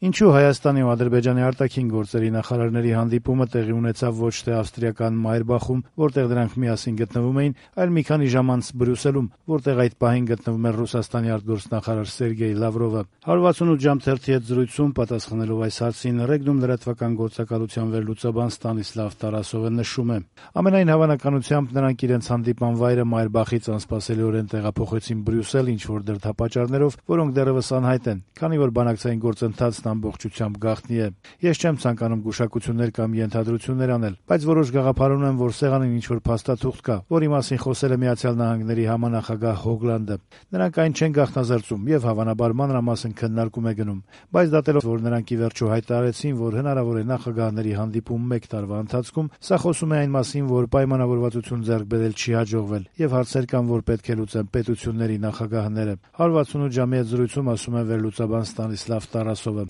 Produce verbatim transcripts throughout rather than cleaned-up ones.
Ինչու Հայաստանի ու Ադրբեջանի արտաքին գործերի նախարարների հանդիպումը տեղի ունեցավ ոչ թե ավստրիական Մայրբախում, որտեղ դրանք միասին գտնվում էին, այլ մի քանի ժամ անց Բրյուսելում, որտեղ այդ պահին գտնվում էր Ռուսաստանի արտգործնախարար Սերգեյ Լավրովը։ one sixty-eight ժամ թերթի հետ զրույցում պատասխանելով այս հարցին Ռեգնում լրատվական գործակալության վերլուծաբան Ստանիսլավ Տարասովը նշում է. ամենայն հավանականությամբ նրանք իրենց հանդիպման վայրը Մայրբախից անսպասելիորեն տեղափոխեցին Բրյուսել ինչ-որ դրդապատճառներով, որոնք դեռևս անհայտ են, քանի որ բանակցային գործընթացն ամբողջությամբ գաղտնի է։ Ես չեմ ցանկանում գուշակություններ կամ ենթադրություններ անել, բայց որոշ գաղափար ունեմ, որ սեղանին ինչ-որ փաստաթուղթ կա, որի մասին խոսել է Միացյալ Նահանգների համանախագահ Հոգլանդը։ Նրանք այն չեն գաղտնազրծում եւ հավանաբար մանրամասն քննարկում է գնում, բայց դատելով, որ նրանք ի վերջո հայտարարեցին, որ հնարավոր է նախագահների հանդիպում մեկ տարվա ընթացքում, սա խոսում է այն մասին, որ պայմանավորվածություն ձեռք բերել չի հաջողվել եւ հարցեր կան, որ պետք է լուծեն պետությունների նախագահները։ one sixty-eight ժամի հետ զրույցում ասում է վերլուծաբան Ստանիսլավ Տարասովը։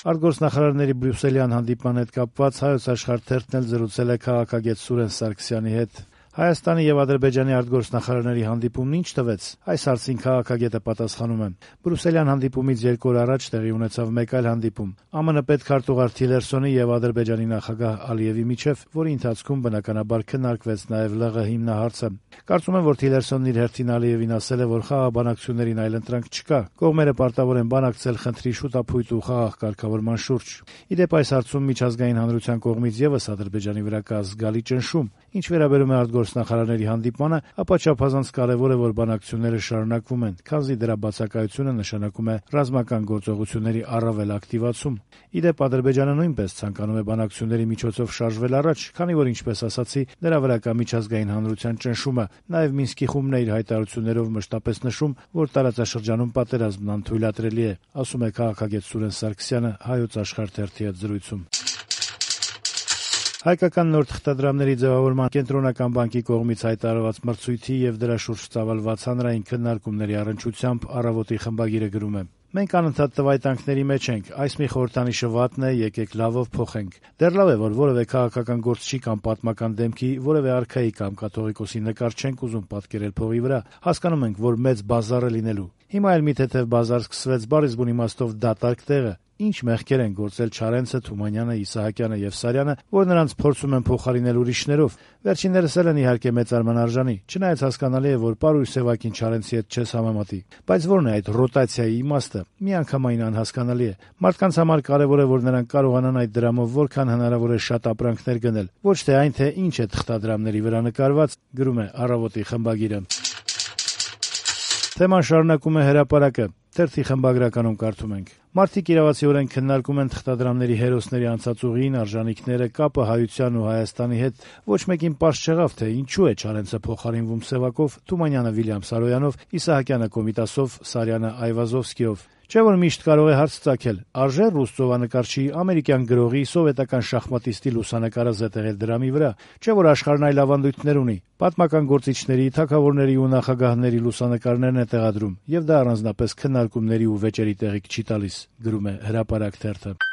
Արտգործնախարարների Բրյուսելյան հանդիպման հետ կապված Հայոց Աշխարհ թերթն էլ զրուցել է քաղաքագետ Սուրեն Սարգսյանի հետ։ Հայաստանի եւ Ադրբեջանի արտգործնախարարների հանդիպումն ինչ տվեց։ Այս հարցին քաղաքագետը պատասխանում է. Բրյուսելյան հանդիպումից երկու օր առաջ տեղի ունեցավ մեկ այլ հանդիպում ԱՄՆ պետքարտուղար Թիլերսոնի եւ Ադրբեջանի նախագահ Ալիևի միջեւ, որի ընթացքում բնականաբար քննարկվեց նաեւ ԼՂ հիմնահարցը։ Կարծում եմ, որ Թիլերսոնն իր հերթին Ալիևին ասել է, որ խաղաղ բանակցություններին այլընտրանք չկա։ Կողմերը պարտավոր են բանակցել խնդրի շուտափույթ ու խաղաղ կարգավորման շուրջ։ Ի դեպ, այս հարցում միջազգային հանրության կողմից եւս Ադրբեջանի վրա կա զգալի ճնշում։ Ինչ վերաբերում է արտգործնախարարների հանդիպմանը, ապա չափազանց կարևոր է, որ բանակցությունները շարունակվում են, քանզի դրա բացակայությունը նշանակում է ռազմական գործողությունների առավել ակտիվացում։ Ի դեպ, Ադրբեջանը նույնպես ցանկանում է բանակցությունների միջոցով շարժվել առաջ, քանի որ, ինչպես ասացի, դրա վրա կա միջազգային հանրության ճնշումը։ Նաև Մինսկի խումբն է իր հայտարարություններով մշտապես նշում, որ տարածաշրջանում պատերազմն անթույլատրելի է, ասում է քաղաքագետ Սուրեն Սարգսյանը Հայոց Աշխարհ թերթի հետ զրույցում։ Հայկական նոր թղթադրամների ձևավորման կենտրոնական բանկի կողմից հայտարարված մրցույթի եւ դրա շուրջ ծավալված հանրային քննարկումների առնչությամբ Առավոտի խմբագիրը գրում է. Մենք անընդհատ տվայտանքների մեջ ենք, այս մի խորհրդանիշը վատն է, եկեք լավով փոխենք։ Դեռ լավ է, որ որևէ քաղաքական գործչի կամ պատմական դեմքի, որևէ արքայի կամ կաթողիկոսի նկար չենք ուզում պատկերել փողի վրա, հասկանում ենք, որ մեծ բազար է լինելու։ Հիմա էլ մի թեթև բազար սկսվեց բառից բուն իմաստով դատարկ տեղը։ Ինչ մեղքեր են գործել Չարենցը, Թումանյանը, Իսահակյանը եւ Սարյանը, որ նրանց փորձում են փոխարինել ուրիշներով։ Վերջիններս էլ են իհարկե մեծարման արժանի, չնայած հասկանալի է, որ Պարույր Սևակին Չարենցի հետ չես համեմատի։ Բայց ո՞րն է այդ ռոտացիայի իմաստը։ Միանգամայն անհասկանալի է։ Մարդկանց համար կարևոր է, որ նրանք կարողանան այդ դրամով որքան հնարավոր է շատ ապրանքներ գնել, ոչ թե այն, թե ինչ է թղթադրամների վրա նկարված, գրում է Առավոտի խմբագիրը։ Թեման շարունակում է Հրապարակը։ Թերթի խմբագրականում կարդում ենք. Մարդիկ իրավացիորեն քննարկում են թղթադրամների հերոսների անցած ուղին, արժանիքները, կապը հայության ու Հայաստանի հետ։ Ոչ մեկին պարզ չեղավ, թե ինչու է Չարենցը փոխարինվում Սևակով, Թումանյանը Վիլյամ Սարոյանով, Իսահակյանը Կոմիտասով, Սարյանը Այվազովսկիով։ Չէ՞ որ միշտ կարող է հարց ծագել. արժե ռուս ծովանկարչի, ամերիկյան գրողի, սովետական շախմատիստի լուսանկարը զետեղել դրամի վրա։ Չէ՞ որ աշխարհն այլ ավանդույթներ ունի։ Պատմական գործիչների, թագավորների ու նախագահների լուսանկարներն է տեղադրում, եւ դա առանձնապես քննարկումների ու վեճերի տեղիք չի տալիս, գրում է Հրապարակ թերթը։